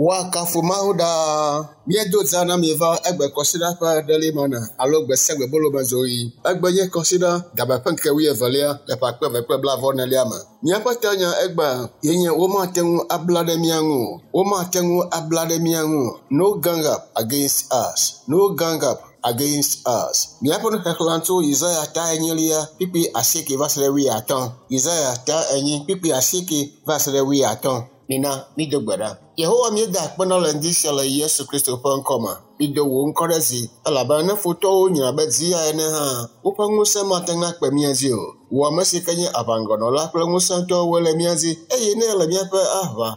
Woakafu Mawu ɖaa. Míedo dza na mi va egbe kɔsiɖa ƒe ɖelimana alo gbe sia gbe bolomezoɣi. Egbe nye kɔsiɖa game ƒe ŋkeke wuievelia le ƒe akpe eve kple blaeve-vɔ-enelia me. Míaƒe tanya egbea ye nye womate ŋu abla ɖe mía ŋu o. Womate ŋu abla ɖe mía ŋu o. No gang up against us. No gang up against us. Míaƒe nuxexlẽ tso Yesaya ta enyilia kpukpui asieke va se ɖe wuiatɔ̃. Yesaya ta enyi kpukpui asieke va se ɖe wuiatɔ̃. Mina mído gbe ɖa. Yehowa míeda akpe na le ŋdi sia le Yesu Kristo ƒe ŋkɔ me. Mido wò ŋkɔ ɖe dzi elabena ne futɔwo nyra abe dzia ene hã, woƒe ŋusẽ mate ŋu akpe mía dzi o. Wò ame si ke nye aʋaŋgɔnɔla kple ŋusẽtɔwoe le mía dzi eye ne ele míaƒe aʋa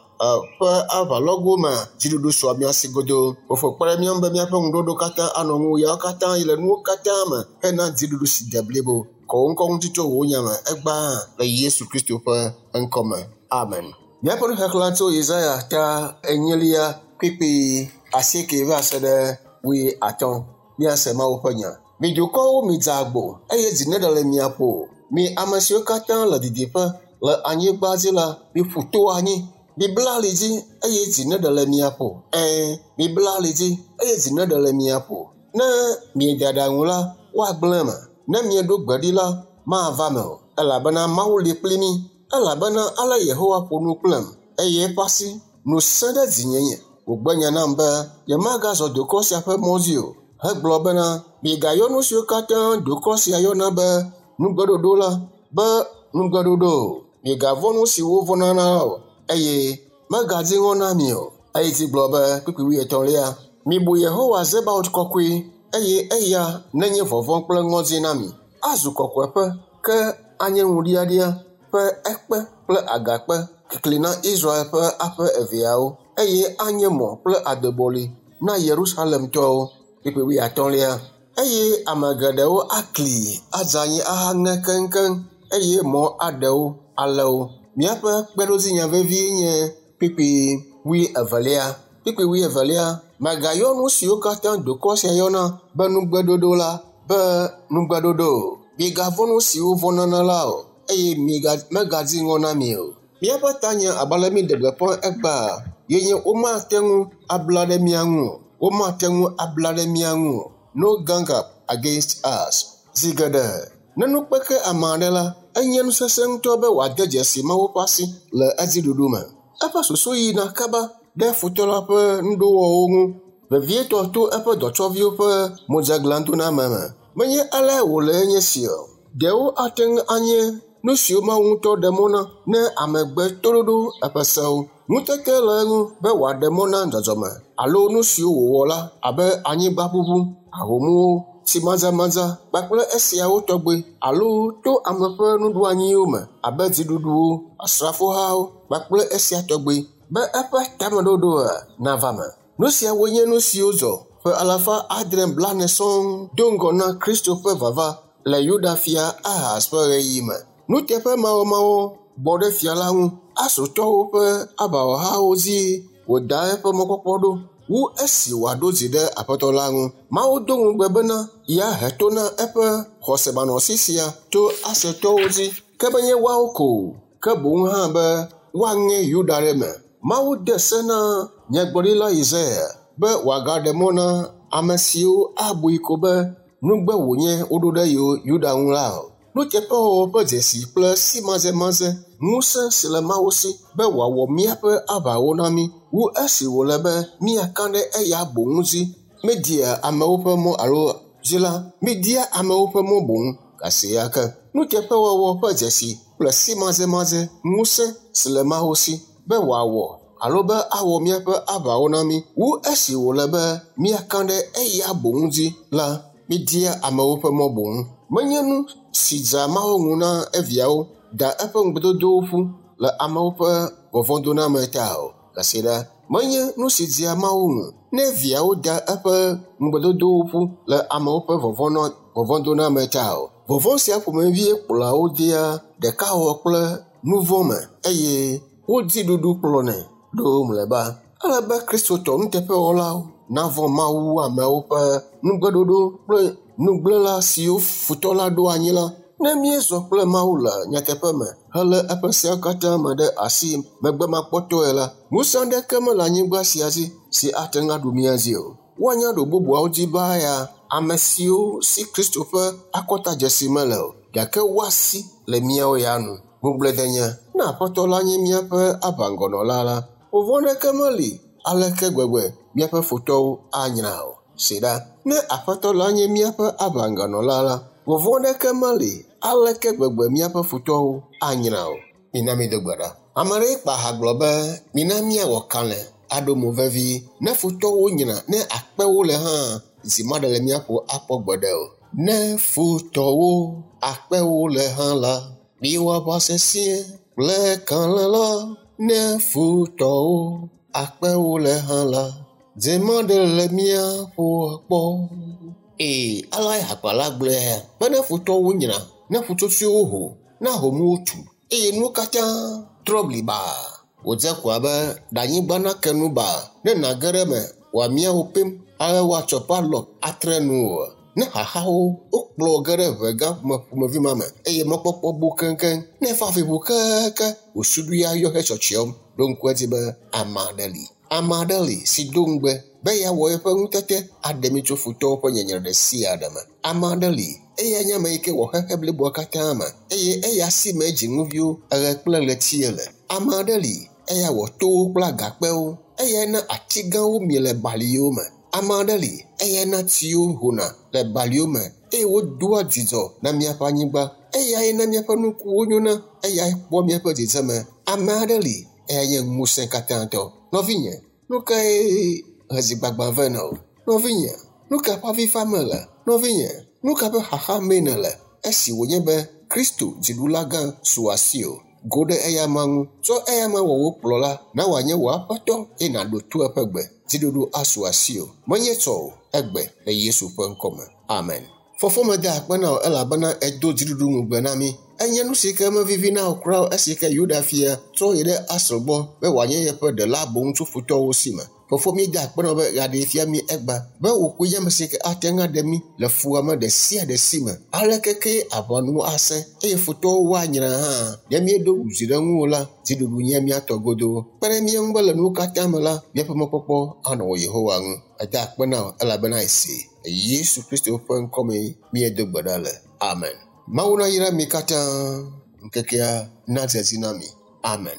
ƒe aʋalɔgo me, dziɖuɖu sua mía si godoo. Fofo kpe ɖe mía ŋu be míaƒe ŋuɖoɖo katã anɔ ŋu yawo katã yi le nuwo katã me hena dziɖuɖu si de blibo. Kɔ wò ŋkɔ ŋuti tso wò nya me egbea le Yesu Kristo ƒe ŋkɔ me. Amen. Míaƒe nuxexlẽ tso Yesaya ta enyilia kpukpui asieke va se ɖe wuiatɔ̃. Míase Mawu ƒe nya. Mi dukɔwo midze agbo eye dzi neɖe le mia ƒo. Mi ame siwo katã le didiƒe le anyigba dzi la, miƒu to anyi. Mibla ali dzi eye dzi neɖe le mia ƒo. Ɛ̃, mibla ali dzi eye dzi neɖe le mia ƒo. Ne miede aɖaŋu la, woagblẽ eme. Ne mieɖo gbe ɖi la, mava eme o. Elabena Mawu li kpli mí. Elabena ale Yehowa ƒo nu kplem eye eƒe asi nu sẽ ɖe dzinye wògbe nya nam be nyemagazɔ dukɔ sia ƒe mɔ dzi o hegblɔ bena, Migayɔ nu siwo katã dukɔ sia yɔna be nugbeɖoɖo la be nugbeɖoɖo o. Migavɔ̃ nu si wovɔ̃na na o eye megadzi ŋɔ na mi o. Eye dzi gblɔ be kpukpui wuietɔ̃lia, Mibu Yehowa Zebaot kɔkɔe eye eya nenye vɔvɔ̃ kple ŋɔdzi na mi. Azu kɔkɔeƒe ke anye ŋuɖiaɖia ƒe ekpe kple agakpe kikli na Israel ƒe aƒe eveawo eye anye mɔ kple adoboli na Yerusalemtɔwo. Kpukpui wuiatɔ̃lia. Eye ame geɖewo akli adze anyi ahaŋe keŋkeŋ eye mɔ aɖe wo alé wo. Míaƒe kpeɖodzinya vevie nye kpukpui wuievelia. Kpukpui wuievelia. Mègayɔ nu siwo katã dukɔ sia yɔna be nugbeɖoɖo la be nugbeɖoɖo o. Migavɔ̃ nu si wovɔ̃na na la o eye megadzi ŋɔ na mi o. Míaƒe tanya abe ale míeɖe gbeƒã egbea ye nye womate ŋu abla ɖe mía ŋu o. Womate ŋu abla ɖe mía ŋu o. No gang up against us. Zi geɖe ne nu kpeke ame aɖe la, enye nu sesẽ ŋutɔ be wòade dzesi Mawu ƒe asi le edziɖuɖu me. Eƒe susu yina kaba ɖe futɔ la ƒe nuɖowɔwɔwo ŋu, vevietɔ to eƒe dɔtsɔviwo ƒe modzagladoname me. Menye aleae wòle enye esi o. Ɖewo ate ŋu anye nu siwo Mawu ŋutɔ ɖe mɔ na ne ame gbe toɖoɖo eƒe sewo. Ŋutete le eŋu be wòaɖe mɔ na dzɔdzɔme alo nu siwo wòwɔ la abe anyigbaʋuʋu, ahomuwo, tsimadzamadzã kpakple esiawo tɔgbe alo to ame ƒe nuɖoanyiwo me abe dziɖuɖuwo, asrafohawo kpakple esia tɔgbe be eƒe tameɖoɖoa nava eme. Nu siawoe nye nu siwo dzɔ ƒe alafa adre blaene sɔŋ do ŋgɔ na Kristo ƒe vava le Yuda fia Ahaz ƒe ɣeyiɣi me. Nuteƒemawɔmawɔ bɔ ɖe fia la ŋu. Asurtɔwo ƒe aʋawɔhawo dzi wòda eƒe mɔkpɔkpɔ ɖo wu esi wòaɖo dzi ɖe Aƒetɔ la ŋu. Mawu do ŋugbe bena yeahe to na eƒe xɔsemanɔsi sia to Asurtɔwo dzi, ke menye woawo ko o, ke boŋ hã be woaŋe Yuda ɖe eme. Mawu de se na nyagblɔɖila Yesaya be wòagaɖe mɔ na ame siwo abui ko be nugbe wònye woɖo ɖe yewo Yuda ŋu la o. Nuteƒewɔwɔ ƒe dzesi kple simazemaze ŋusẽ si le Mawu si be wòawɔ míaƒe aʋawo na mí wu esi wòle be míaka ɖe eya boŋ dzi. Míedia amewo ƒe mɔ alo dzi la, míedia amewo ƒe mɔ boŋ kasia ke. Nuteƒewɔwɔ ƒe dzesi kple simazemaze ŋusẽ si le Mawu si be wòawɔ alo be awɔ míaƒe aʋawo na mí wu esi wòle be míaka ɖe eya boŋ dzi la, míedia amewo ƒe mɔ boŋ. Menye nu si dzea Mawu ŋu na eviawo da eƒe ŋugbedodowo ƒu le amewo ƒe vɔvɔ̃doname ta o. Gasi ɖa, menye nu si dzea Mawu ŋu ne viawo da eƒe ŋugbedodowo ƒu le amewo ƒe vɔvɔ̃doname ta o. Vɔvɔ̃ sia ƒomevie kplɔa wo dea ɖekawɔwɔ kple nu vɔ̃ me eye wo dziɖuɖu kplɔnɛ ɖo mlɔeba. Ele be Kristotɔ nuteƒewɔlawo navɔ̃ Mawu wu amewo ƒe nugbeɖoɖo kple Nugblẽla siwo futɔ la ɖo anyi la, ne míezɔ kple Mawu le nyateƒe me helé eƒe seawo katã me ɖe asi megbemakpɔtɔe la, ŋusẽ aɖeke mele anyigba sia dzi si ate ŋu aɖu mía dzi o. Woanya ɖo bubuawo dzi baa ya ame siwo si Kristo ƒe akɔtadzesi mele o, gake woasi le míawo ya nu. Ŋugbledenye, ne Aƒetɔ la nye míaƒe aʋaŋgɔnɔla la, vɔvɔ̃ aɖeke meli aleke gbegbe míaƒe futɔwo anyra o. Se ɖa, ne Aƒetɔ la nye míaƒe aʋaŋgɔnɔla la, vɔvɔ̃ aɖeke meli aleke gbegbe míaƒe futɔwo anyra o. Mina mído gbe ɖa. Ame aɖe kpa ha gblɔ be, mina míawɔ kalẽ aɖo mo vevi. Ne futɔwo nyra, ne akpewo le hã, zi maɖe le míaƒo akpɔ gbeɖe o. Ne futɔwo akpewo le hã la, míewɔ aʋa sesĩe kple kalẽ la. Ne futɔwo akpewo le hã la, dzi maɖe le míaƒo akpɔ. Ee, alae hakpala gblɔe be ne futɔwo nyra, ne ƒutsotsoewo ho, ne ahomuwo tu eye nuwo katã trɔ blibaa. Wòdze ko abe ɖe anyigba nake nu baa ne nàge ɖe eme wòamia wò pem ale woatsɔ padlock atre nuwò. Ne xaxawo wokplɔ wò ge ɖe ʋe gã ƒomevi ma me eye mɔkpɔkpɔ bu keŋkeŋ. Ne efa avi ʋu keeke wò suɖui ayɔ hetsyɔtsyɔm, ɖo ŋku edzi be ame aɖe li. Ame aɖe li si do ŋugbe be yeawɔ yeƒe ŋutete aɖe mi tso futɔwo ƒe nyenyre ɖe sia ɖe me. Ame aɖe li, eyae nye ame yi ke wɔ xexe bliboa katã me eye eya si me dziŋuviwo, ɣe kple ɣletie le. Ame aɖe li, eya wɔ towo kple agakpewo, eyae na ati gãwo mie le baliwo me. Ame aɖe li, eyae na tsiwo hona le baliwo me eye wodoa dzidzɔ na míaƒe anyigba. Eyae na míaƒe nukuwo nyona, eyae kpɔa míaƒe dzidzeme. Ame aɖe li, eyae nye ŋusẽ katãtɔ. Nɔvinye, nu kae he dzigbagba vɛ na wò? Nɔvinye, nu ka ƒe avi fam mele? Nɔvinye, nu ka ƒe xaxa mee nèle esi wònye be Kristo dziɖula gã su asiwò? Go ɖe eyama ŋu, tsɔ eyama wɔ wò kplɔla, na wòanye wò aƒetɔ eye nàɖo to eƒe gbe. Dziɖuɖu asu asiwò. Menye tsɔ o, egbe le Yesu ƒe ŋkɔ me. Amen. Fofo meda akpe na wò elabena èdo dziɖuɖu ŋugbe na mí. Enye nu si ke mevivi na wò kura o esi ke Yuda fia trɔ yi ɖe Asur gbɔ be wòanye yeƒe ɖela boŋ tso futɔwo si me. Fofo míeda akpe na wò be yeaɖee fia mí egbea be wò koe nye ame si ke ate ŋu aɖe mí le fuwɔame ɖe sia ɖe si me. Aleke kee aʋanuwo asẽ eye futɔwo woanyra hã, ne míeɖo ŋu dzi ɖe ŋuwò la, dziɖuɖu nye mía tɔ godoo. Kpe ɖe mía ŋu be le nuwo katã me la, míaƒe mɔkpɔkpɔ anɔ wò Yehowa ŋu. Eda akpe na wò elabena èsee. Le Yesu Kristo ƒe ŋkɔ mee míedo gbe ɖa le. Amen. Mawu nayra mi katã. Ŋkekea nadze edzi na mi. Amen.